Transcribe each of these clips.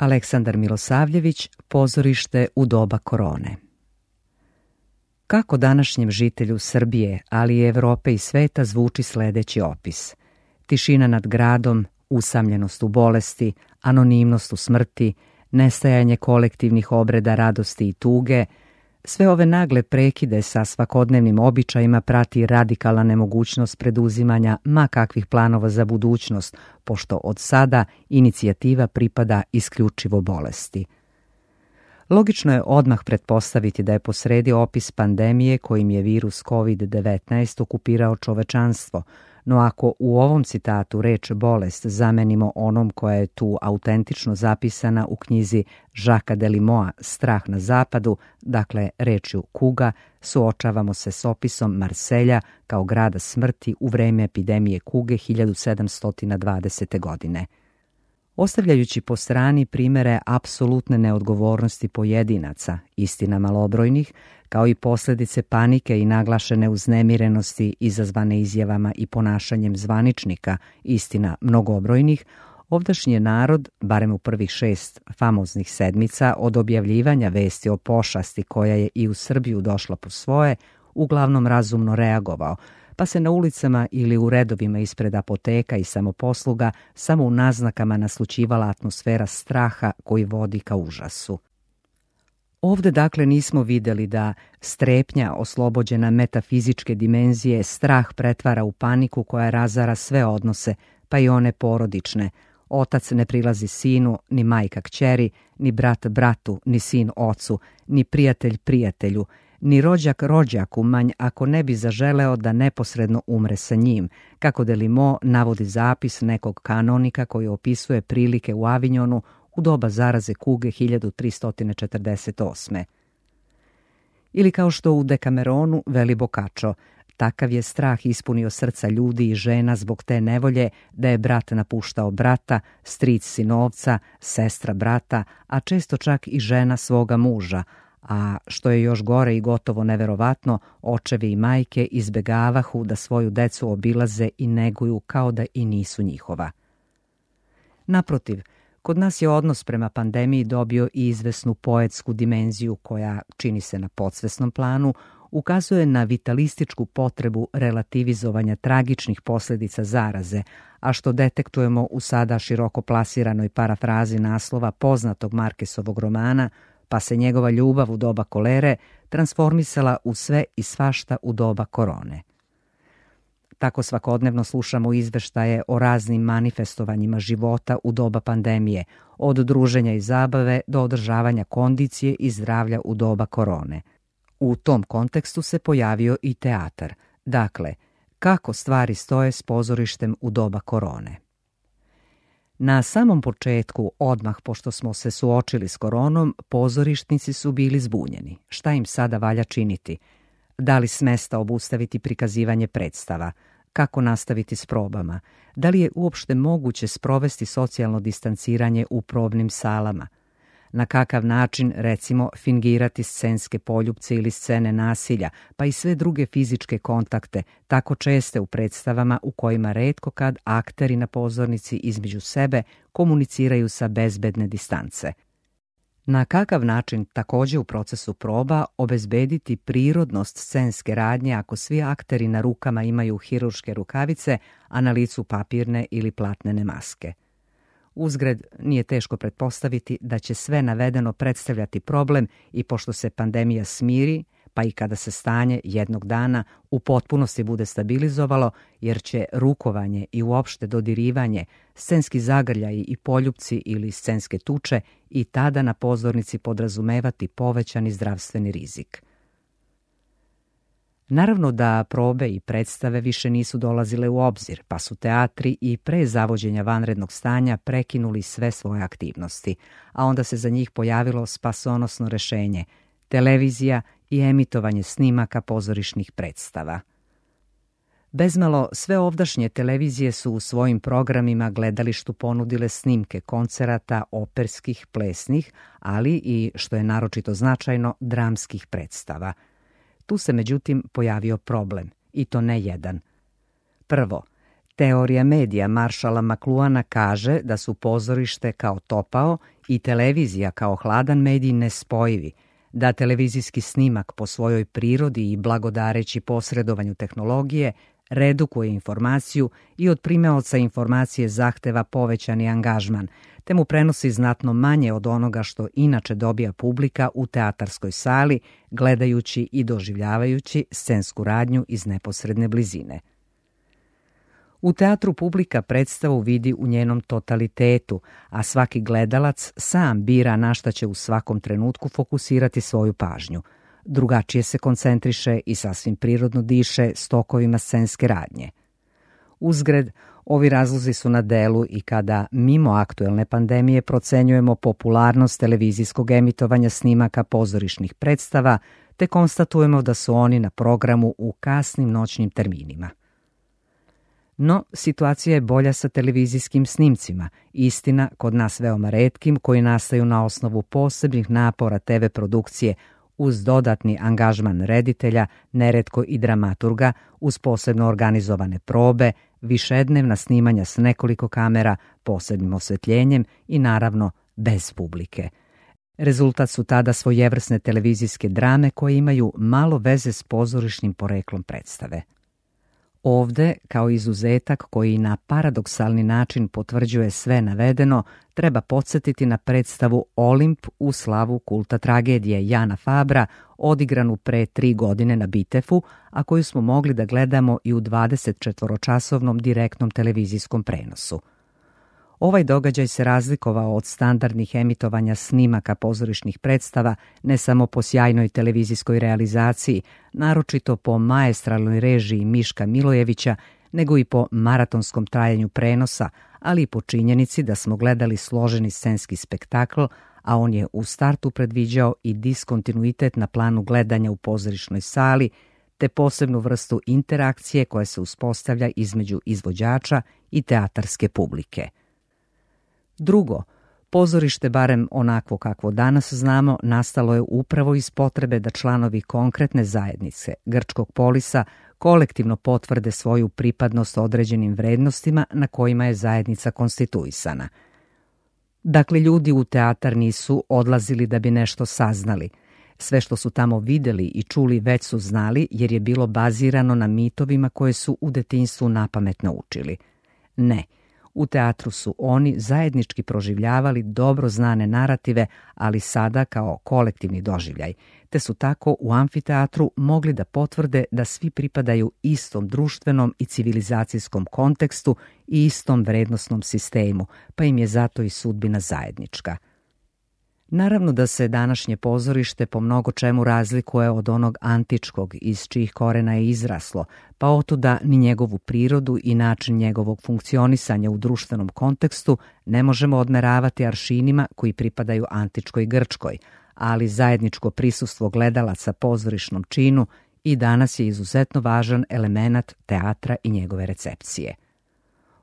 Aleksandar Milosavljević, Pozorište u doba korone. Kako današnjem žitelju Srbije, ali i Evrope i sveta zvuči sledeći opis? Tišina nad gradom, usamljenost u bolesti, anonimnost u smrti, nestajanje kolektivnih obreda radosti i tuge, sve ove nagle prekide sa svakodnevnim običajima prati radikalna nemogućnost preduzimanja ma kakvih planova za budućnost, pošto od sada inicijativa pripada isključivo bolesti. Logično je odmah pretpostaviti da je posredi opis pandemije kojim je virus COVID-19 okupirao čovečanstvo, no ako u ovom citatu reč bolest zamenimo onom koja je tu autentično zapisana u knjizi Žaka Delimoa Strah na zapadu, dakle rečju kuga, suočavamo se s opisom Marselja kao grada smrti u vreme epidemije kuge 1720. godine. Ostavljajući po strani primere apsolutne neodgovornosti pojedinaca, istina malobrojnih, kao i posljedice panike i naglašene uznemirenosti izazvane izjavama i ponašanjem zvaničnika, istina mnogobrojnih, ovdašnji je narod, barem u prvih 6 famoznih sedmica od objavljivanja vesti o pošasti koja je i u Srbiju došla po svoje, uglavnom razumno reagovao, pa se na ulicama ili u redovima ispred apoteka i samoposluga samo u naznakama naslućivala atmosfera straha koji vodi ka užasu. Ovde dakle nismo videli da strepnja oslobođena metafizičke dimenzije strah pretvara u paniku koja razara sve odnose, pa i one porodične. Otac ne prilazi sinu, ni majka kćeri, ni brat bratu, ni sin ocu, ni prijatelj prijatelju, ni rođak rođaku manj ako ne bi zaželeo da neposredno umre sa njim, kako Delimo navodi zapis nekog kanonika koji opisuje prilike u Avinjonu u doba zaraze kuge 1348. Ili kao što u Dekameronu veli Boccaccio, takav je strah ispunio srca ljudi i žena zbog te nevolje da je brat napuštao brata, stric sinovca, sestra brata, a često čak i žena svoga muža, a što je još gore i gotovo neverovatno, očevi i majke izbegavahu da svoju decu obilaze i neguju kao da i nisu njihova. Naprotiv, kod nas je odnos prema pandemiji dobio i izvesnu poetsku dimenziju koja, čini se na podsvesnom planu, ukazuje na vitalističku potrebu relativizovanja tragičnih posljedica zaraze, a što detektujemo u sada široko plasiranoj parafrazi naslova poznatog Markesovog romana, pa se njegova ljubav u doba kolere transformisala u sve i svašta u doba korone. Tako svakodnevno slušamo izveštaje o raznim manifestovanjima života u doba pandemije, od druženja i zabave do održavanja kondicije i zdravlja u doba korone. U tom kontekstu se pojavio i teatar. Dakle, kako stvari stoje s pozorištem u doba korone? Na samom početku, odmah pošto smo se suočili s koronom, pozorišnici su bili zbunjeni. Šta im sada valja činiti? Da li smesta obustaviti prikazivanje predstava? Kako nastaviti s probama? Da li je uopšte moguće sprovesti socijalno distanciranje u probnim salama? Na kakav način, recimo, fingirati scenske poljupce ili scene nasilja, pa i sve druge fizičke kontakte, tako česte u predstavama u kojima retko kad akteri na pozornici između sebe komuniciraju sa bezbedne distance? Na kakav način također u procesu proba obezbediti prirodnost scenske radnje ako svi akteri na rukama imaju hirurške rukavice, a na licu papirne ili platnene maske? Uzgred, nije teško pretpostaviti da će sve navedeno predstavljati problem i pošto se pandemija smiri, pa i kada se stanje jednog dana u potpunosti bude stabilizovalo, jer će rukovanje i uopšte dodirivanje, scenski zagrljaji i poljupci ili scenske tuče i tada na pozornici podrazumevati povećani zdravstveni rizik. Naravno da probe i predstave više nisu dolazile u obzir, pa su teatri i pre zavođenja vanrednog stanja prekinuli sve svoje aktivnosti, a onda se za njih pojavilo spasonosno rešenje – televizija i emitovanje snimaka pozorišnih predstava. Bezmalo sve ovdašnje televizije su u svojim programima gledalištu ponudile snimke koncerata, operskih, plesnih, ali i, što je naročito značajno, dramskih predstava. Tu se međutim pojavio problem, i to ne jedan. Prvo, Teorija medija Marshalla McLuhana kaže da su pozorište kao topao i televizija kao hladan medij nespojivi, da televizijski snimak po svojoj prirodi i blagodareći posredovanju tehnologije redukuje informaciju i od primaoca informacije zahteva povećani angažman, te mu prenosi znatno manje od onoga što inače dobija publika u teatarskoj sali, gledajući i doživljavajući scensku radnju iz neposredne blizine. U teatru publika predstavu vidi u njenom totalitetu, a svaki gledalac sam bira na šta će u svakom trenutku fokusirati svoju pažnju. Drugačije se koncentriše i sasvim prirodno diše stokovima scenske radnje. Uzgred, ovi razlozi su na delu i kada, mimo aktuelne pandemije, procenjujemo popularnost televizijskog emitovanja snimaka pozorišnih predstava, te konstatujemo da su oni na programu u kasnim noćnim terminima. No, situacija je bolja sa televizijskim snimcima, istina kod nas veoma retkim, koji nastaju na osnovu posebnih napora TV produkcije uz dodatni angažman reditelja, neretko i dramaturga, uz posebno organizovane probe, višednevna snimanja s nekoliko kamera, posebnim osvetljenjem i naravno bez publike. Rezultat su tada svojevrsne televizijske drame koje imaju malo veze s pozorišnim poreklom predstave. Ovde, kao izuzetak koji na paradoksalni način potvrđuje sve navedeno, treba podsjetiti na predstavu Olimp u slavu kulta tragedije Jana Fabra, odigranu pre 3 godine na Bitefu, a koju smo mogli da gledamo i u 24-časovnom direktnom televizijskom prenosu. Ovaj događaj se razlikovao od standardnih emitovanja snimaka pozorišnih predstava ne samo po sjajnoj televizijskoj realizaciji, naročito po maestralnoj režiji Miška Milojevića, nego i po maratonskom trajanju prenosa, ali i po činjenici da smo gledali složeni scenski spektakl, a on je u startu predviđao i diskontinuitet na planu gledanja u pozorišnoj sali, te posebnu vrstu interakcije koja se uspostavlja između izvođača i teatarske publike. Drugo, pozorište, barem onakvo kakvo danas znamo, nastalo je upravo iz potrebe da članovi konkretne zajednice Grčkog polisa kolektivno potvrde svoju pripadnost određenim vrednostima na kojima je zajednica konstituisana. Dakle, ljudi u teatar nisu odlazili da bi nešto saznali. Sve što su tamo videli i čuli već su znali jer je bilo bazirano na mitovima koje su u detinjstvu napamet naučili. Ne, u teatru su oni zajednički proživljavali dobro znane narative, ali sada kao kolektivni doživljaj, te su tako u amfiteatru mogli da potvrde da svi pripadaju istom društvenom i civilizacijskom kontekstu i istom vrednosnom sistemu, pa im je zato i sudbina zajednička. Naravno da se današnje pozorište po mnogo čemu razlikuje od onog antičkog iz čijih korena je izraslo, pa otuda ni njegovu prirodu i način njegovog funkcionisanja u društvenom kontekstu ne možemo odmeravati aršinima koji pripadaju antičkoj Grčkoj, ali zajedničko prisustvo gledalaca pozorišnom činu i danas je izuzetno važan element teatra i njegove recepcije.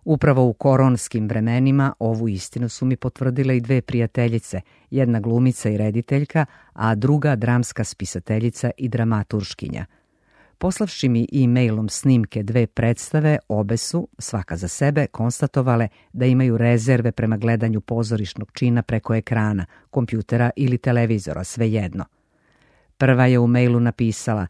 Upravo u koronskim vremenima ovu istinu su mi potvrdile i 2 prijateljice, jedna glumica i rediteljka, a druga dramska spisateljica i dramaturškinja. Poslavši mi e-mailom snimke 2 predstave, obe su, svaka za sebe, konstatovale da imaju rezerve prema gledanju pozorišnog čina preko ekrana, kompjutera ili televizora, svejedno. Prva je u mailu napisala: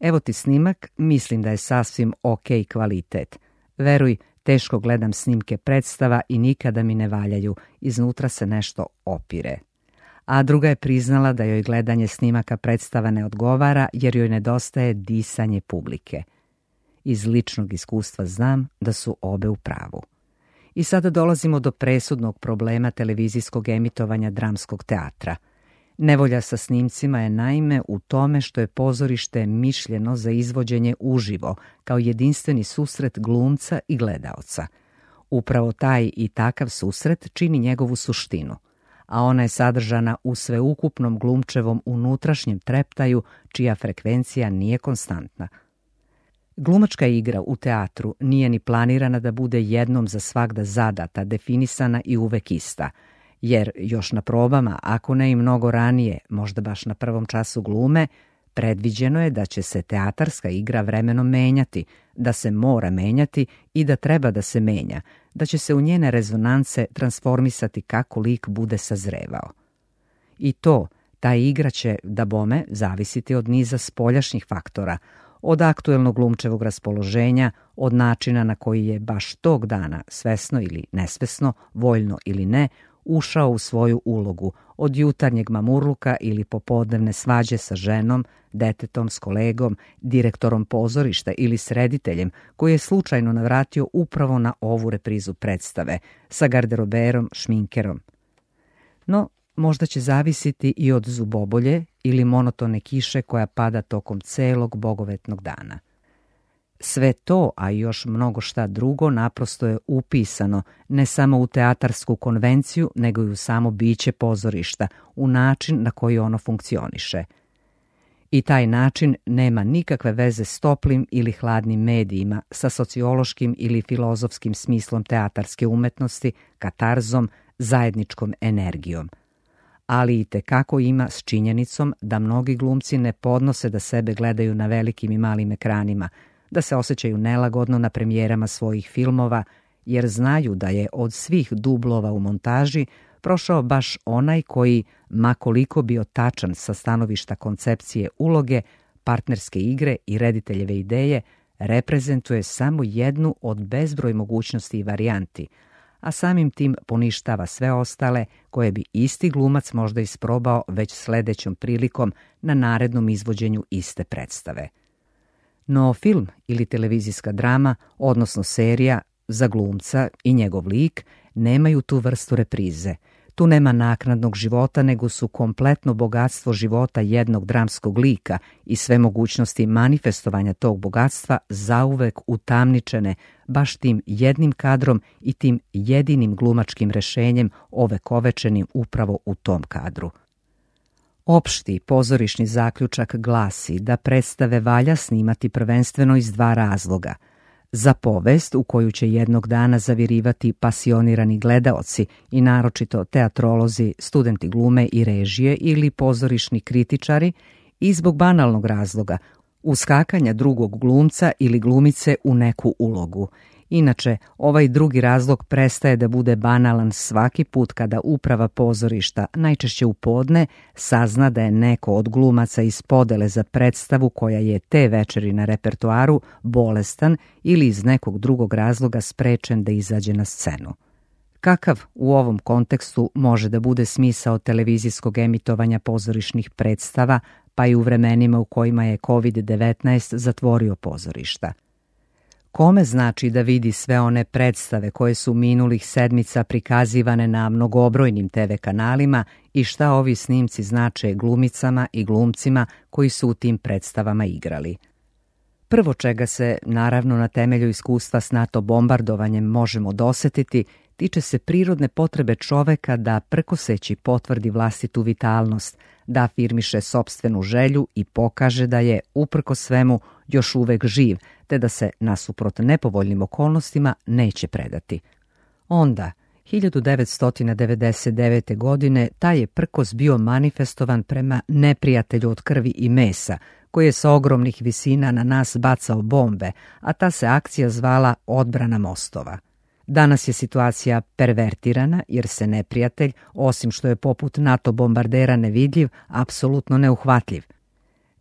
"Evo ti snimak, mislim da je sasvim ok kvalitet. Veruj, teško gledam snimke predstava i nikada mi ne valjaju, iznutra se nešto opire." A druga je priznala da joj gledanje snimaka predstava ne odgovara jer joj nedostaje disanje publike. Iz ličnog iskustva znam da su obe u pravu. I sada dolazimo do presudnog problema televizijskog emitovanja dramskog teatra. Nevolja sa snimcima je naime u tome što je pozorište mišljeno za izvođenje uživo, kao jedinstveni susret glumca i gledaoca. Upravo taj i takav susret čini njegovu suštinu, a ona je sadržana u sveukupnom glumčevom unutrašnjem treptaju, čija frekvencija nije konstantna. Glumačka igra u teatru nije ni planirana da bude jednom za svagda zadata, definisana i uvek ista, jer još na probama, ako ne i mnogo ranije, možda baš na prvom času glume, predviđeno je da će se teatarska igra vremenom menjati, da se mora menjati i da treba da se menja, da će se u njene rezonance transformisati kako lik bude sazrevao. I ta igra će, dabome, zavisiti od niza spoljašnjih faktora, od aktuelnog glumčevog raspoloženja, od načina na koji je baš tog dana, svesno ili nesvesno, voljno ili ne, ušao u svoju ulogu, od jutarnjeg mamurluka ili popodnevne svađe sa ženom, detetom, s kolegom, direktorom pozorišta ili s rediteljem koji je slučajno navratio upravo na ovu reprizu predstave, sa garderoberom, šminkerom. No, možda će zavisiti i od zubobolje ili monotone kiše koja pada tokom celog bogovetnog dana. Sve to, a i još mnogo šta drugo, naprosto je upisano ne samo u teatarsku konvenciju, nego i u samo biće pozorišta, u način na koji ono funkcioniše. I taj način nema nikakve veze s toplim ili hladnim medijima, sa sociološkim ili filozofskim smislom teatarske umetnosti, katarzom, zajedničkom energijom. Ali i tekako ima s činjenicom da mnogi glumci ne podnose da sebe gledaju na velikim i malim ekranima, da se osjećaju nelagodno na premijerama svojih filmova, jer znaju da je od svih dublova u montaži prošao baš onaj koji, ma koliko bio tačan sa stanovišta koncepcije uloge, partnerske igre i rediteljeve ideje, reprezentuje samo jednu od bezbroj mogućnosti i varijanti, a samim tim poništava sve ostale koje bi isti glumac možda isprobao već sledećom prilikom na narednom izvođenju iste predstave. No film ili televizijska drama, odnosno serija, za glumca i njegov lik nemaju tu vrstu reprize. Tu nema naknadnog života, nego su kompletno bogatstvo života jednog dramskog lika i sve mogućnosti manifestovanja tog bogatstva zauvek utamničene baš tim jednim kadrom i tim jedinim glumačkim rešenjem ovekovečenim upravo u tom kadru. Opšti pozorišni zaključak glasi da predstave valja snimati prvenstveno iz dva razloga. Za povest u koju će jednog dana zavirivati pasionirani gledaoci i naročito teatrolozi, studenti glume i režije ili pozorišni kritičari, i zbog banalnog razloga, uskakanja drugog glumca ili glumice u neku ulogu. Inače, ovaj drugi razlog prestaje da bude banalan svaki put kada uprava pozorišta, najčešće u podne, sazna da je neko od glumaca iz podele za predstavu koja je te večeri na repertoaru bolestan ili iz nekog drugog razloga sprečen da izađe na scenu. Kakav u ovom kontekstu može da bude smisao televizijskog emitovanja pozorišnih predstava, pa i u vremenima u kojima je COVID-19 zatvorio pozorišta? Kome znači da vidi sve one predstave koje su minulih sedmica prikazivane na mnogobrojnim TV kanalima i šta ovi snimci znače glumicama i glumcima koji su u tim predstavama igrali? Prvo čega se, naravno na temelju iskustva s NATO bombardovanjem, možemo dosetiti, tiče se prirodne potrebe čoveka da prkoseći potvrdi vlastitu vitalnost, da afirmiše sopstvenu želju i pokaže da je, uprkos svemu, još uvek živ, te da se, nasuprot nepovoljnim okolnostima, neće predati. Onda, 1999. godine, taj je prkos bio manifestovan prema neprijatelju od krvi i mesa, koji je sa ogromnih visina na nas bacao bombe, a ta se akcija zvala Odbrana mostova. Danas je situacija pervertirana jer se neprijatelj, osim što je poput NATO bombardera nevidljiv, apsolutno neuhvatljiv.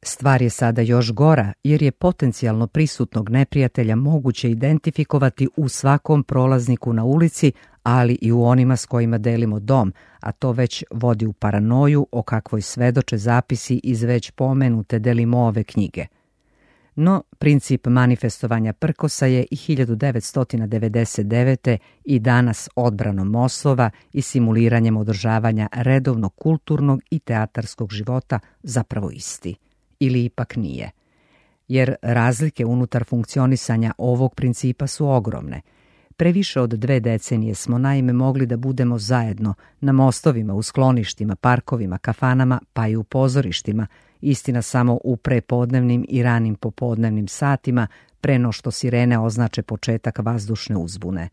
Stvar je sada još gora jer je potencijalno prisutnog neprijatelja moguće identifikovati u svakom prolazniku na ulici, ali i u onima s kojima delimo dom, a to već vodi u paranoju o kakvoj svedoče zapisi iz već pomenute Delimove knjige. No, princip manifestovanja prkosa je i 1999. i danas odbranom moslova i simuliranjem održavanja redovnog kulturnog i teatarskog života zapravo isti. Ili ipak nije. Jer razlike unutar funkcionisanja ovog principa su ogromne. Previše od 2 decenije smo naime mogli da budemo zajedno na mostovima, u skloništima, parkovima, kafanama, pa i u pozorištima, istina samo u prepodnevnim i ranim popodnevnim satima, pre no što sirene označe početak vazdušne uzbune.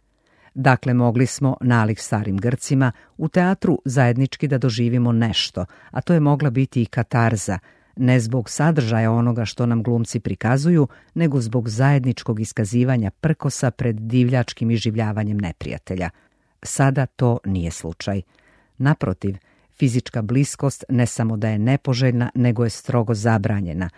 Dakle, mogli smo, nalik starim Grcima, u teatru zajednički da doživimo nešto, a to je mogla biti i katarza, ne zbog sadržaja onoga što nam glumci prikazuju, nego zbog zajedničkog iskazivanja prkosa pred divljačkim iživljavanjem neprijatelja. Sada to nije slučaj. Naprotiv, fizička bliskost ne samo da je nepoželjna, nego je strogo zabranjena.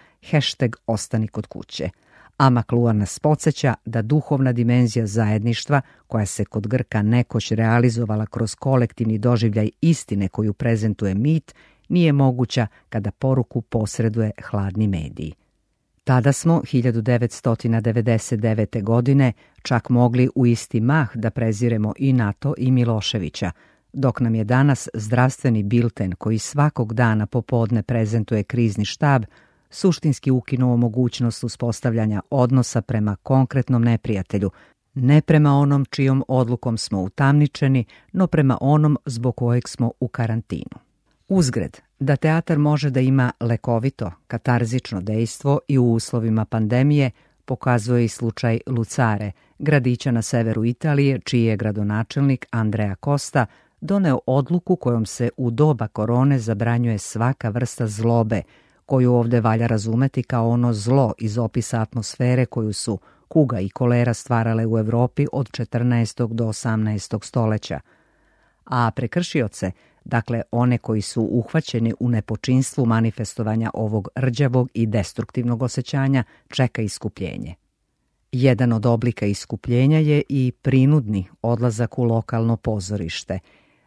#ostani kod kuće. A McLuhan nas podsjeća da duhovna dimenzija zajedništva, koja se kod Grka nekoć realizovala kroz kolektivni doživljaj istine koju prezentuje mit, nije moguća kada poruku posreduje hladni medij. Tada smo, 1999. godine, čak mogli u isti mah da preziremo i NATO i Miloševića, dok nam je danas zdravstveni bilten koji svakog dana popodne prezentuje krizni štab, suštinski ukinuo mogućnost uspostavljanja odnosa prema konkretnom neprijatelju, ne prema onom čijom odlukom smo utamničeni, no prema onom zbog kojeg smo u karantinu. Uzgred, da teatar može da ima lekovito, katarzično dejstvo i u uslovima pandemije, pokazuje i slučaj Lucare, gradića na severu Italije, čiji je gradonačelnik Andrea Costa doneo odluku kojom se u doba korone zabranjuje svaka vrsta zlobe, koju ovdje valja razumeti kao ono zlo iz opisa atmosfere koju su kuga i kolera stvarale u Europi od 14. do 18. stoljeća. A prekršioce, dakle one koji su uhvaćeni u nepočinstvu manifestovanja ovog rđavog i destruktivnog osjećanja, čeka iskupljenje. Jedan od oblika iskupljenja je i prinudni odlazak u lokalno pozorište.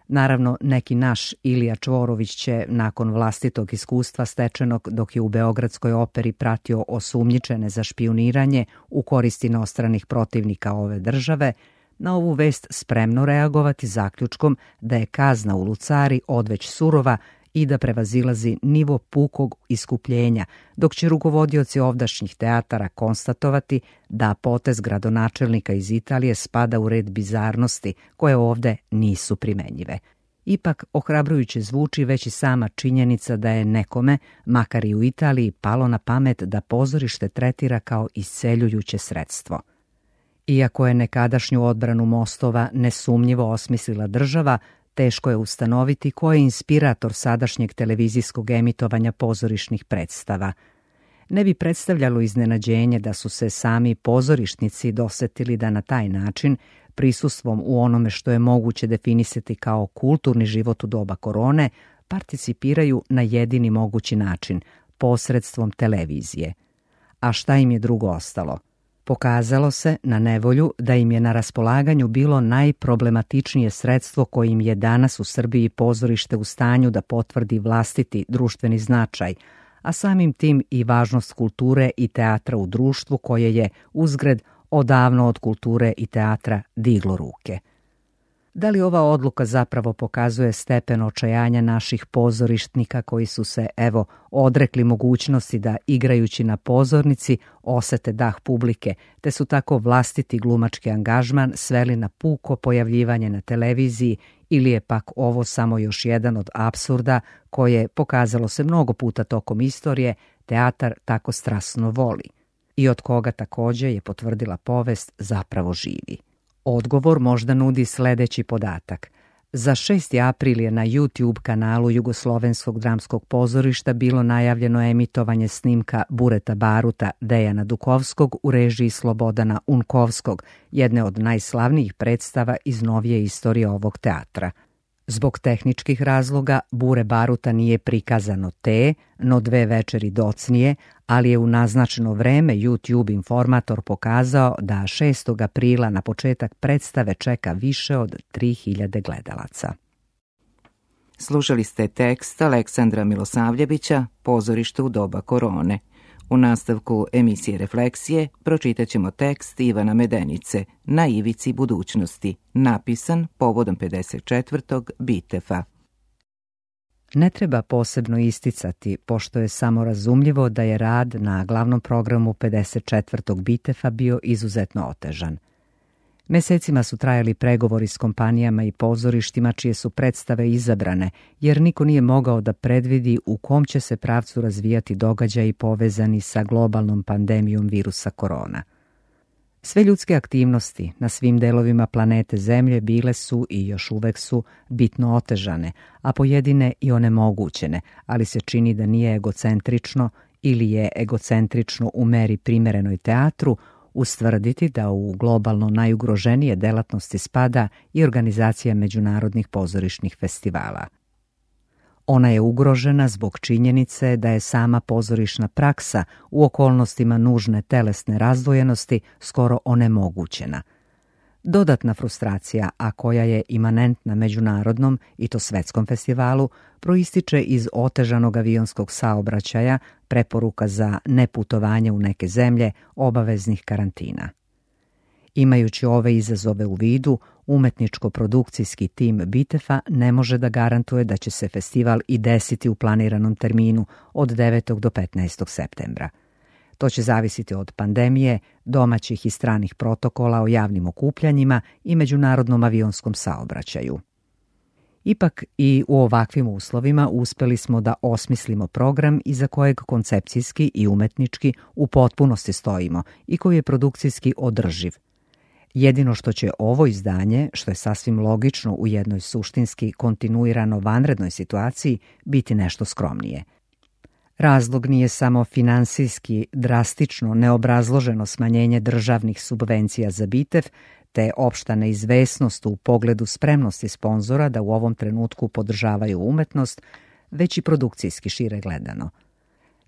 Naravno, neki naš Ilija Čvorović će, nakon vlastitog iskustva stečenog dok je u Beogradskoj operi pratio osumnjičene za špijuniranje u korist inostranih protivnika ove države, na ovu vest spremno reagovati zaključkom da je kazna u Lucari odveć surova i da prevazilazi nivo pukog iskupljenja, dok će rukovodioci ovdašnjih teatara konstatovati da potez gradonačelnika iz Italije spada u red bizarnosti koje ovde nisu primenjive. Ipak, ohrabrujuće zvuči već i sama činjenica da je nekome, makar i u Italiji, palo na pamet da pozorište tretira kao isceljujuće sredstvo. Iako je nekadašnju odbranu mostova nesumnjivo osmislila država, teško je ustanoviti ko je inspirator sadašnjeg televizijskog emitovanja pozorišnih predstava. Ne bi predstavljalo iznenađenje da su se sami pozorišnici dosetili da na taj način, prisustvom u onome što je moguće definisati kao kulturni život u doba korone, participiraju na jedini mogući način, posredstvom televizije. A šta im je drugo ostalo? Pokazalo se, na nevolju, da im je na raspolaganju bilo najproblematičnije sredstvo kojim je danas u Srbiji pozorište u stanju da potvrdi vlastiti društveni značaj, a samim tim i važnost kulture i teatra u društvu koje je, uzgred, odavno od kulture i teatra diglo ruke. Da li ova odluka zapravo pokazuje stepen očajanja naših pozorištnika koji su se, odrekli mogućnosti da, igrajući na pozornici, osete dah publike, te su tako vlastiti glumački angažman sveli na puko pojavljivanje na televiziji, ili je pak ovo samo još jedan od apsurda koje, pokazalo se mnogo puta tokom istorije, teatar tako strasno voli i od koga također je potvrdila povest zapravo živi. Odgovor možda nudi sljedeći podatak. Za 6. april je na YouTube kanalu Jugoslovenskog dramskog pozorišta bilo najavljeno emitovanje snimka Bureta Baruta Dejana Dukovskog u režiji Slobodana Unkovskog, jedne od najslavnijih predstava iz novije istorije ovog teatra. Zbog tehničkih razloga Bure Baruta nije prikazano no 2 večeri docnije, ali je u naznačeno vreme YouTube informator pokazao da 6. aprila na početak predstave čeka više od 3000 gledalaca. Slušali ste tekst Aleksandra Milosavljevića, Pozorište u doba korone. U nastavku emisije Refleksije pročitat ćemo tekst Ivana Medenice Na ivici budućnosti, napisan povodom 54. Bitefa. Ne treba posebno isticati, pošto je samorazumljivo da je rad na glavnom programu 54. Bitefa bio izuzetno otežan. Mesecima su trajali pregovori s kompanijama i pozorištima čije su predstave izabrane, jer niko nije mogao da predvidi u kom će se pravcu razvijati događaji povezani sa globalnom pandemijom virusa korona. Sve ljudske aktivnosti na svim delovima planete Zemlje bile su i još uvek su bitno otežane, a pojedine i onemogućene, ali se čini da nije egocentrično ili je egocentrično u meri primerenoj teatru ustvrditi da u globalno najugroženije delatnosti spada i organizacija međunarodnih pozorišnih festivala. Ona je ugrožena zbog činjenice da je sama pozorišna praksa u okolnostima nužne telesne razdvojenosti skoro onemogućena. Dodatna frustracija, a koja je imanentna međunarodnom i to svetskom festivalu, proističe iz otežanog avionskog saobraćaja, preporuka za neputovanje u neke zemlje, obaveznih karantina. Imajući ove izazove u vidu, umetničko-produkcijski tim BITEF-a ne može da garantuje da će se festival i desiti u planiranom terminu od 9. do 15. septembra. To će zavisiti od pandemije, domaćih i stranih protokola o javnim okupljanjima i međunarodnom avionskom saobraćaju. Ipak i u ovakvim uslovima uspeli smo da osmislimo program iza kojeg koncepcijski i umetnički u potpunosti stojimo i koji je produkcijski održiv. Jedino što će ovo izdanje, što je sasvim logično u jednoj suštinski kontinuirano vanrednoj situaciji, biti nešto skromnije. Razlog nije samo finansijski, drastično, neobrazloženo smanjenje državnih subvencija za BITEF, te opšta neizvesnost u pogledu spremnosti sponzora da u ovom trenutku podržavaju umetnost, već i produkcijski šire gledano.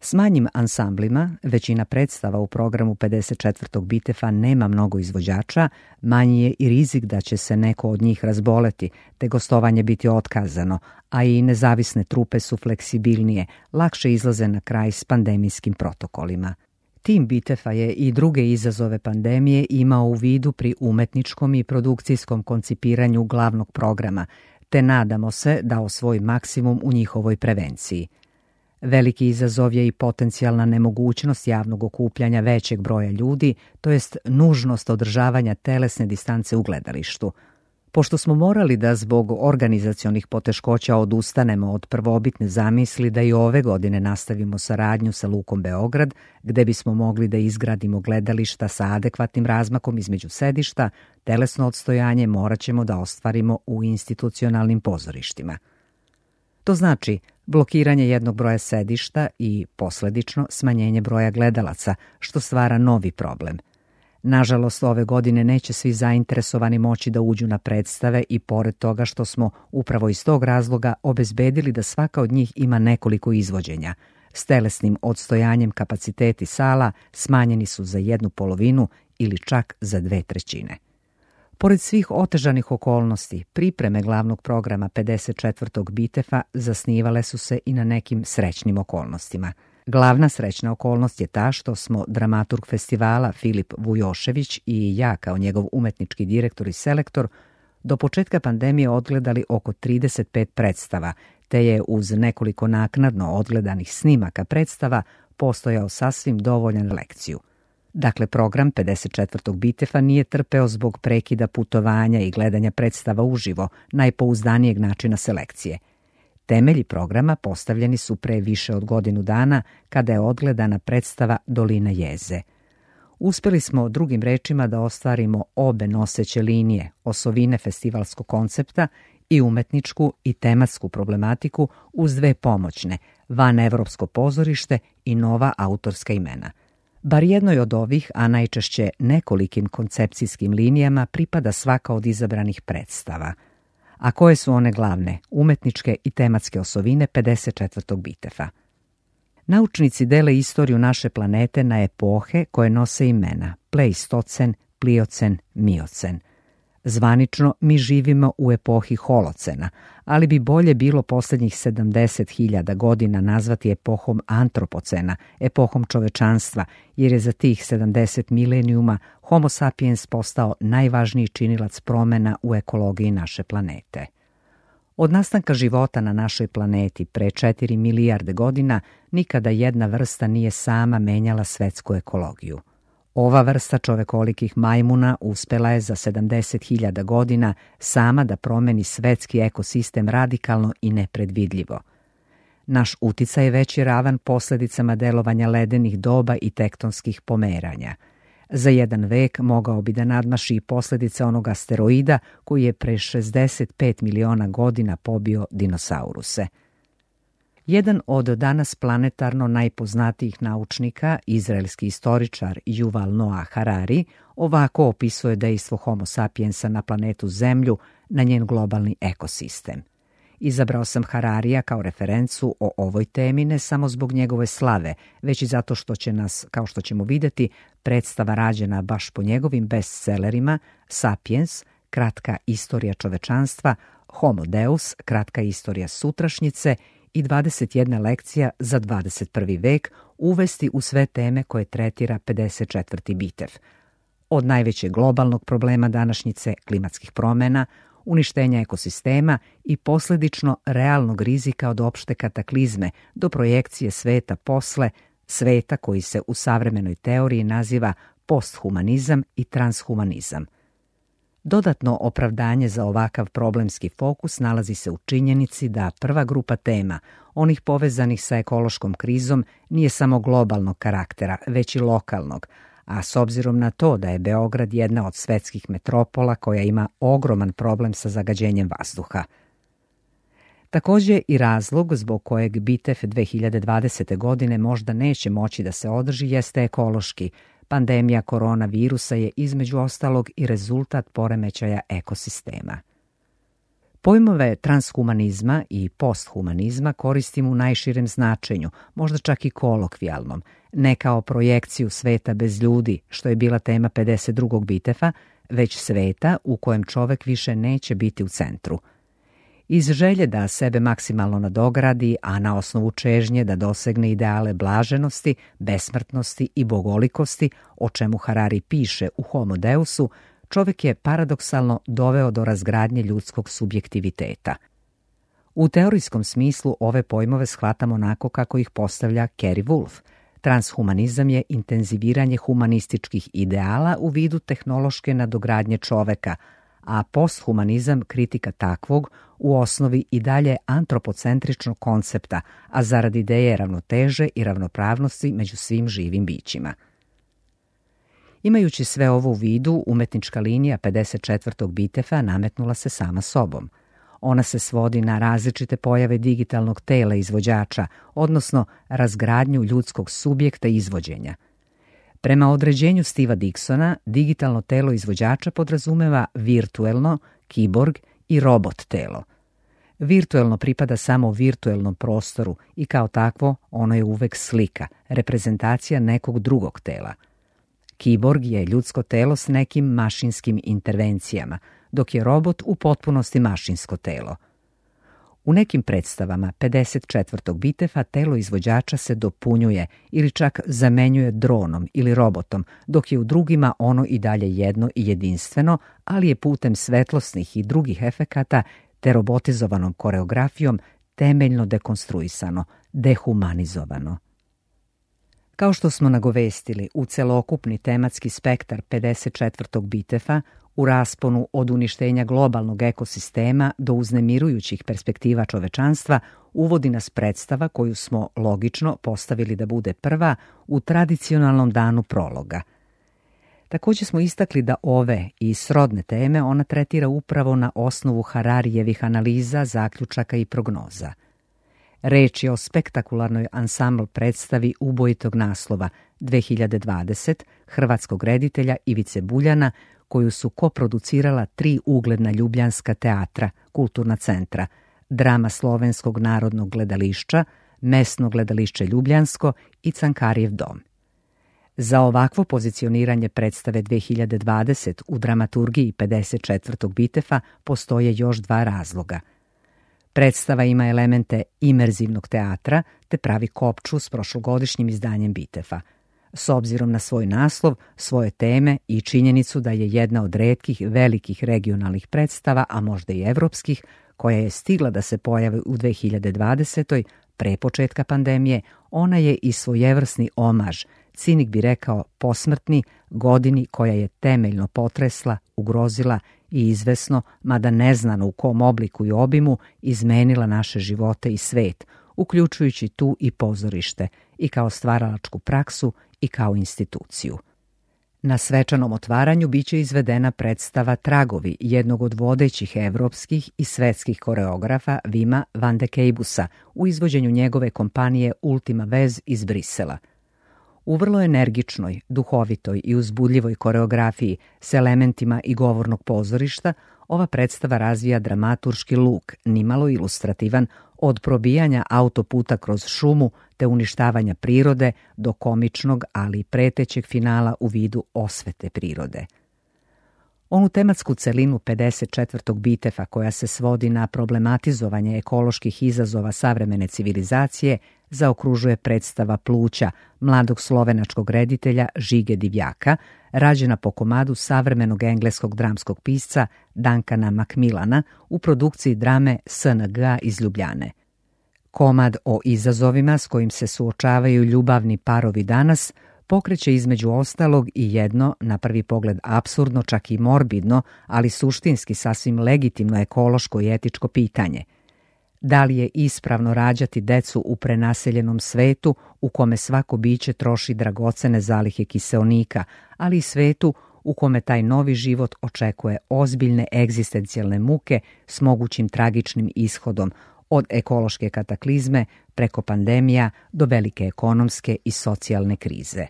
S manjim ansamblima, većina predstava u programu 54. BITEF-a nema mnogo izvođača, manji je i rizik da će se neko od njih razboleti, te gostovanje biti otkazano, a i nezavisne trupe su fleksibilnije, lakše izlaze na kraj s pandemijskim protokolima. Tim BITEF-a je i druge izazove pandemije imao u vidu pri umetničkom i produkcijskom koncipiranju glavnog programa, te nadamo se da osvoji maksimum u njihovoj prevenciji. Veliki izazov je i potencijalna nemogućnost javnog okupljanja većeg broja ljudi, to jest nužnost održavanja telesne distance u gledalištu. Pošto smo morali da zbog organizacionih poteškoća odustanemo od prvobitne zamisli da i ove godine nastavimo saradnju sa Lukom Beograd, gde bismo mogli da izgradimo gledališta sa adekvatnim razmakom između sedišta, telesno odstojanje morat ćemo da ostvarimo u institucionalnim pozorištima. To znači blokiranje jednog broja sedišta i, posledično, smanjenje broja gledalaca, što stvara novi problem. Nažalost, ove godine neće svi zainteresovani moći da uđu na predstave i pored toga što smo upravo iz tog razloga obezbedili da svaka od njih ima nekoliko izvođenja. S telesnim odstojanjem kapaciteti sala smanjeni su za 1/2 ili čak za 2/3. Pored svih otežanih okolnosti, pripreme glavnog programa 54. BITEF-a zasnivale su se i na nekim srećnim okolnostima. Glavna srećna okolnost je ta što smo dramaturg festivala Filip Vujošević i ja kao njegov umetnički direktor i selektor do početka pandemije odgledali oko 35 predstava, te je uz nekoliko naknadno odgledanih snimaka predstava postojao sasvim dovoljan lekciju. Dakle, program 54. BITEF-a nije trpeo zbog prekida putovanja i gledanja predstava uživo, najpouzdanijeg načina selekcije. Temelji programa postavljeni su pre više od godinu dana kada je odgledana predstava Dolina jeze. Uspeli smo drugim rečima da ostvarimo obe noseće linije, osovine festivalskog koncepta i umetničku i tematsku problematiku uz dve pomoćne, vanevropsko pozorište i nova autorska imena. Bar jednoj od ovih, a najčešće nekolikim koncepcijskim linijama pripada svaka od izabranih predstava. A koje su one glavne, umetničke i tematske osovine 54. BITEF-a? Naučnici dele istoriju naše planete na epohe koje nose imena Pleistocen, Pliocen, Miocen. Zvanično mi živimo u epohi Holocena, ali bi bolje bilo posljednjih 70.000 godina nazvati epohom Antropocena, epohom čovečanstva, jer je za tih 70 milenijuma Homo sapiens postao najvažniji činilac promena u ekologiji naše planete. Od nastanka života na našoj planeti pre 4 milijarde godina nikada jedna vrsta nije sama menjala svetsku ekologiju. Ova vrsta čovekolikih majmuna uspela je za 70.000 godina sama da promeni svetski ekosistem radikalno i nepredvidljivo. Naš uticaj je veći ravan posljedicama delovanja ledenih doba i tektonskih pomeranja. Za jedan vek mogao bi da nadmaši i posljedice onog asteroida koji je pre 65 miliona godina pobio dinosauruse. Jedan od danas planetarno najpoznatijih naučnika, izraelski istoričar Yuval Noah Harari, ovako opisuje dejstvo Homo sapiensa na planetu Zemlju, na njen globalni ekosistem. Izabrao sam Hararija kao referencu o ovoj temi ne samo zbog njegove slave, već i zato što će nas, kao što ćemo vidjeti, predstava rađena baš po njegovim bestsellerima Sapiens, kratka istorija čovečanstva, Homo Deus, kratka istorija sutrašnjice i 21 lekcija za 21. vek uvesti u sve teme koje tretira 54. bitev. Od najvećeg globalnog problema današnjice, klimatskih promjena, uništenja ekosistema i posljedično realnog rizika od opšte kataklizme do projekcije sveta posle, sveta koji se u savremenoj teoriji naziva posthumanizam i transhumanizam. Dodatno opravdanje za ovakav problemski fokus nalazi se u činjenici da prva grupa tema, onih povezanih sa ekološkom krizom, nije samo globalnog karaktera, već i lokalnog, a s obzirom na to da je Beograd jedna od svetskih metropola koja ima ogroman problem sa zagađenjem vazduha. Također i razlog zbog kojeg bitev 2020. godine možda neće moći da se održi jeste ekološki. Pandemija koronavirusa je između ostalog i rezultat poremećaja ekosistema. Pojmove transhumanizma i posthumanizma koristim u najširem značenju, možda čak i kolokvijalnom, ne kao projekciju sveta bez ljudi, što je bila tema 52. bitefa, već sveta u kojem čovek više neće biti u centru. Iz želje da sebe maksimalno nadogradi, a na osnovu čežnje da dosegne ideale blaženosti, besmrtnosti i bogolikosti, o čemu Harari piše u Homo Deusu, čovjek je paradoksalno doveo do razgradnje ljudskog subjektiviteta. U teorijskom smislu ove pojmove shvatamo onako kako ih postavlja Kerry Wolf. Transhumanizam je intenziviranje humanističkih ideala u vidu tehnološke nadogradnje čoveka, a posthumanizam kritika takvog, u osnovi i dalje antropocentričnog koncepta, a zarad ideje ravnoteže i ravnopravnosti među svim živim bićima. Imajući sve ovo u vidu, umetnička linija 54. bitefa nametnula se sama sobom. Ona se svodi na različite pojave digitalnog tela izvođača, odnosno razgradnju ljudskog subjekta izvođenja. Prema određenju Steva Dicksona, digitalno telo izvođača podrazumeva virtuelno, kiborg i robot telo. Virtuelno pripada samo virtuelnom prostoru i kao takvo ono je uvek slika, reprezentacija nekog drugog tela. Kiborg je ljudsko telo s nekim mašinskim intervencijama, dok je robot u potpunosti mašinsko telo. U nekim predstavama 54. bitefa telo izvođača se dopunjuje ili čak zamenjuje dronom ili robotom, dok je u drugima ono i dalje jedno i jedinstveno, ali je putem svetlosnih i drugih efekata te robotizovanom koreografijom temeljno dekonstruisano, dehumanizovano. Kao što smo nagovestili, u celokupni tematski spektar 54. bitefa, u rasponu od uništenja globalnog ekosistema do uznemirujućih perspektiva čovečanstva, uvodi nas predstava koju smo logično postavili da bude prva u tradicionalnom danu prologa. Također smo istakli da ove i srodne teme ona tretira upravo na osnovu Hararijevih analiza, zaključaka i prognoza. Reč je o spektakularnoj ansambl predstavi ubojitog naslova 2020 hrvatskog reditelja Ivice Buljana, koju su koproducirala 3 ugledna ljubljanska teatra, kulturna centra, Drama Slovenskog narodnog gledališća, Mesno gledališće Ljubljansko i Cankarijev dom. Za ovakvo pozicioniranje predstave 2020 u dramaturgiji 54. bitefa postoje još 2 razloga. Predstava ima elemente imerzivnog teatra te pravi kopču s prošlogodišnjim izdanjem bitefa. S obzirom na svoj naslov, svoje teme i činjenicu da je jedna od retkih velikih regionalnih predstava, a možda i evropskih, koja je stigla da se pojavi u 2020. pre početka pandemije, ona je i svojevrsni omaž, cinik bi rekao posmrtni, godini koja je temeljno potresla, ugrozila i izvesno, mada neznano u kom obliku i obimu, izmenila naše živote i svet, uključujući tu i pozorište, i kao stvaralačku praksu i kao instituciju. Na svečanom otvaranju biće izvedena predstava Tragovi jednog od vodećih evropskih i svetskih koreografa Wima van de Keibusa u izvođenju njegove kompanije Ultima Vez iz Brisela. U vrlo energičnoj, duhovitoj i uzbudljivoj koreografiji s elementima i govornog pozorišta, ova predstava razvija dramaturški luk, nimalo ilustrativan, od probijanja autoputa kroz šumu te uništavanja prirode do komičnog, ali i pretećeg finala u vidu osvete prirode. Onu tematsku celinu 54. Bitefa koja se svodi na problematizovanje ekoloških izazova savremene civilizacije zaokružuje predstava Pluća mladog slovenačkog reditelja Žige Divjaka, rađena po komadu savremenog engleskog dramskog pisca Duncana Macmillana u produkciji drame SNG iz Ljubljane. Komad o izazovima s kojim se suočavaju ljubavni parovi danas pokreće između ostalog i jedno, na prvi pogled apsurdno, čak i morbidno, ali suštinski sasvim legitimno ekološko i etičko pitanje. Da li je ispravno rađati decu u prenaseljenom svetu u kome svako biće troši dragocene zalihe kiseonika, ali i svetu u kome taj novi život očekuje ozbiljne egzistencijalne muke s mogućim tragičnim ishodom, od ekološke kataklizme preko pandemija do velike ekonomske i socijalne krize.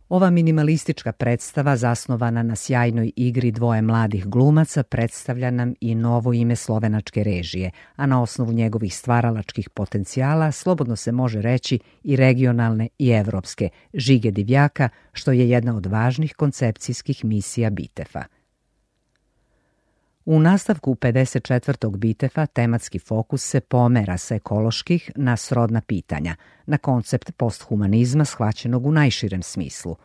Ova minimalistička predstava, zasnovana na sjajnoj igri dvoje mladih glumaca, predstavlja nam i novo ime slovenačke režije, a na osnovu njegovih stvaralačkih potencijala slobodno se može reći i regionalne i evropske, Žige Divjaka, što je jedna od važnih koncepcijskih misija Bitefa. U nastavku 54. Bitefa tematski fokus se pomera sa ekoloških na srodna pitanja, na koncept posthumanizma shvaćenog u najširem smislu.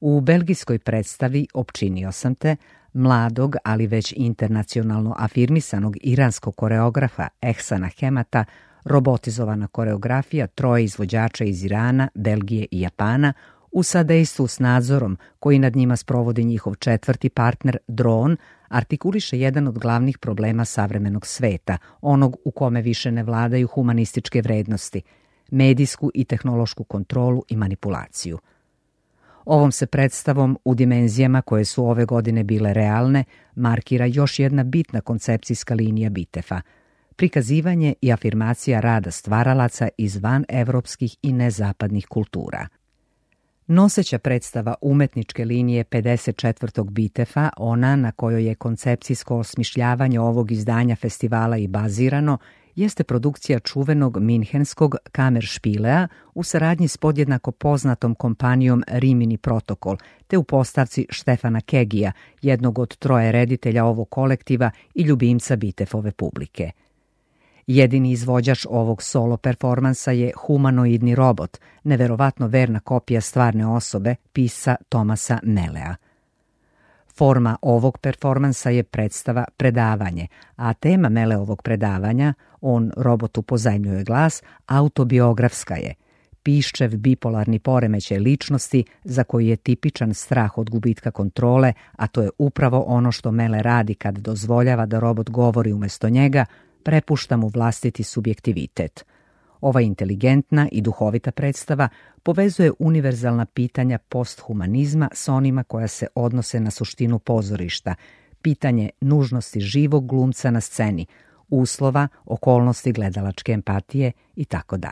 U belgijskoj predstavi Opčinio sam te, mladog, ali već internacionalno afirmisanog iranskog koreografa Ehsana Hemata, robotizovana koreografija troje izvođača iz Irana, Belgije i Japana, u sadejstvu s nadzorom koji nad njima sprovodi njihov četvrti partner, dron, artikuliše jedan od glavnih problema savremenog sveta, onog u kome više ne vladaju humanističke vrednosti, medijsku i tehnološku kontrolu i manipulaciju. Ovom se predstavom u dimenzijama koje su ove godine bile realne markira još jedna bitna koncepcijska linija Bitefa, prikazivanje i afirmacija rada stvaralaca iz vanevropskih i nezapadnih kultura. Noseća predstava umetničke linije 54. Bitefa, ona na kojoj je koncepcijsko osmišljavanje ovog izdanja festivala i bazirano, jeste produkcija čuvenog minhenskog Kammerspielea u saradnji s podjednako poznatom kompanijom Rimini Protokol, te u postavci Štefana Kegija, jednog od troje reditelja ovog kolektiva i ljubimca Bitefove publike. Jedini izvođač ovog solo performansa je humanoidni robot, neverovatno verna kopija stvarne osobe, pisca Tomasa Melea. Forma ovog performansa je predstava predavanje, a tema Meleovog predavanja, on robotu pozajmljuje glas, autobiografska je. Piščev bipolarni poremećaj ličnosti za koji je tipičan strah od gubitka kontrole, a to je upravo ono što Mele radi kad dozvoljava da robot govori umjesto njega, prepušta mu vlastiti subjektivitet. Ova inteligentna i duhovita predstava povezuje univerzalna pitanja posthumanizma s onima koja se odnose na suštinu pozorišta, pitanje nužnosti živog glumca na sceni, uslova, okolnosti gledalačke empatije itd.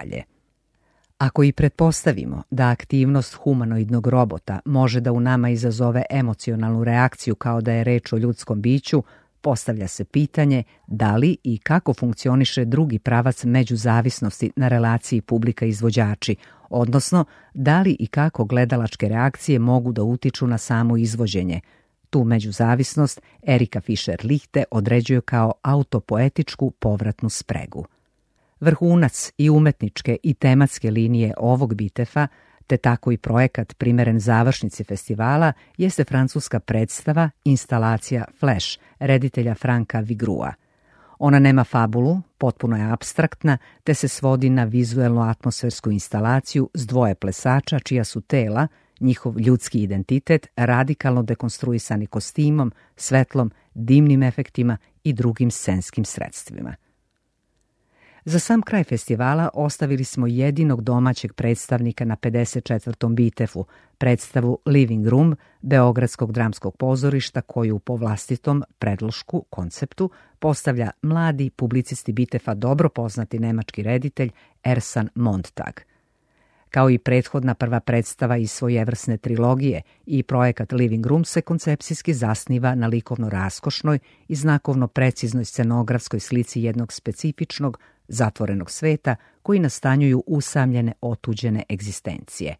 Ako i pretpostavimo da aktivnost humanoidnog robota može da u nama izazove emocionalnu reakciju kao da je reč o ljudskom biću, postavlja se pitanje da li i kako funkcioniše drugi pravac međuzavisnosti na relaciji publika-izvođači, odnosno da li i kako gledalačke reakcije mogu da utiču na samo izvođenje. Tu međuzavisnost Erika Fischer-Lichte određuje kao autopoetičku povratnu spregu. Vrhunac i umetničke i tematske linije ovog Bitefa, te tako i projekat primeren završnici festivala, jeste francuska predstava instalacija Flash, reditelja Franka Vigrua. Ona nema fabulu, potpuno je apstraktna, te se svodi na vizuelno-atmosfersku instalaciju s dvoje plesača čija su tela, njihov ljudski identitet, radikalno dekonstruisani kostimom, svetlom, dimnim efektima i drugim scenskim sredstvima. Za sam kraj festivala ostavili smo jedinog domaćeg predstavnika na 54. Bitefu, predstavu Living Room Beogradskog dramskog pozorišta koju po vlastitom predlošku konceptu postavlja mladi publicisti Bitefa dobro poznati nemački reditelj Ersan Montag. Kao i prethodna prva predstava iz svojevrsne trilogije i projekat Living Room se koncepcijski zasniva na likovno raskošnoj i znakovno preciznoj scenografskoj slici jednog specifičnog zatvorenog sveta koji nastanjuju usamljene otuđene egzistencije.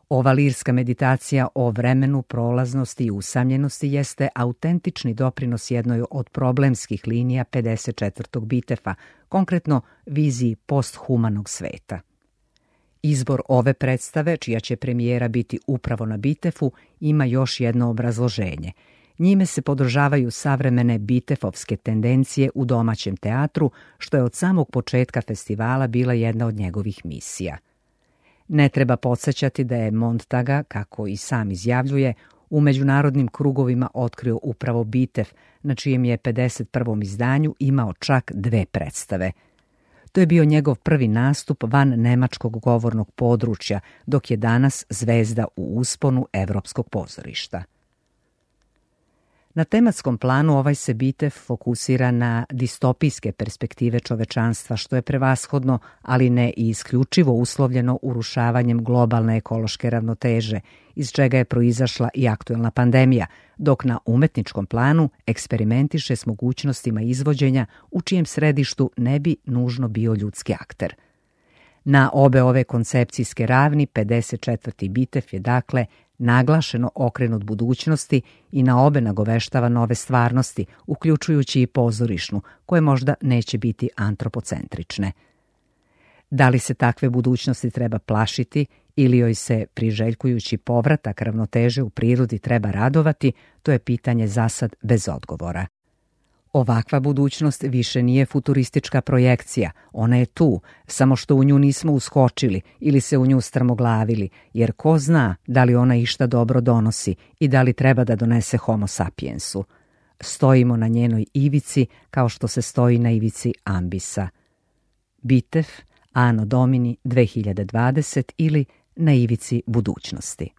Ova lirska meditacija o vremenu, prolaznosti i usamljenosti jeste autentični doprinos jednoj od problemskih linija 54. Bitefa, konkretno viziji posthumanog sveta. Izbor ove predstave, čija će premijera biti upravo na Bitefu, ima još jedno obrazloženje. Njime se podržavaju savremene bitefovske tendencije u domaćem teatru, što je od samog početka festivala bila jedna od njegovih misija. Ne treba podsjećati da je Montaga, kako i sam izjavljuje, u međunarodnim krugovima otkrio upravo Bitef, na čijem je 51. izdanju imao čak 2 predstave. To je bio njegov prvi nastup van nemačkog govornog područja, dok je danas zvezda u usponu evropskog pozorišta. Na tematskom planu ovaj se Bitef fokusira na distopijske perspektive čovečanstva, što je prevashodno, ali ne i isključivo uslovljeno urušavanjem globalne ekološke ravnoteže, iz čega je proizašla i aktuelna pandemija, dok na umetničkom planu eksperimentiše s mogućnostima izvođenja u čijem središtu ne bi nužno bio ljudski akter. Na obe ove koncepcijske ravni 54. Bitef je dakle naglašeno okrenut budućnosti i na obe nagoveštava nove stvarnosti, uključujući i pozorišnu, koje možda neće biti antropocentrične. Da li se takve budućnosti treba plašiti ili joj se, priželjkujući povratak ravnoteže u prirodi, treba radovati, to je pitanje zasad bez odgovora. Ovakva budućnost više nije futuristička projekcija, ona je tu, samo što u nju nismo uskočili ili se u nju strmoglavili, jer ko zna da li ona išta dobro donosi i da li treba da donese homo sapiensu. Stojimo na njenoj ivici kao što se stoji na ivici ambisa. Bitef, Anno Domini 2020 ili na ivici budućnosti.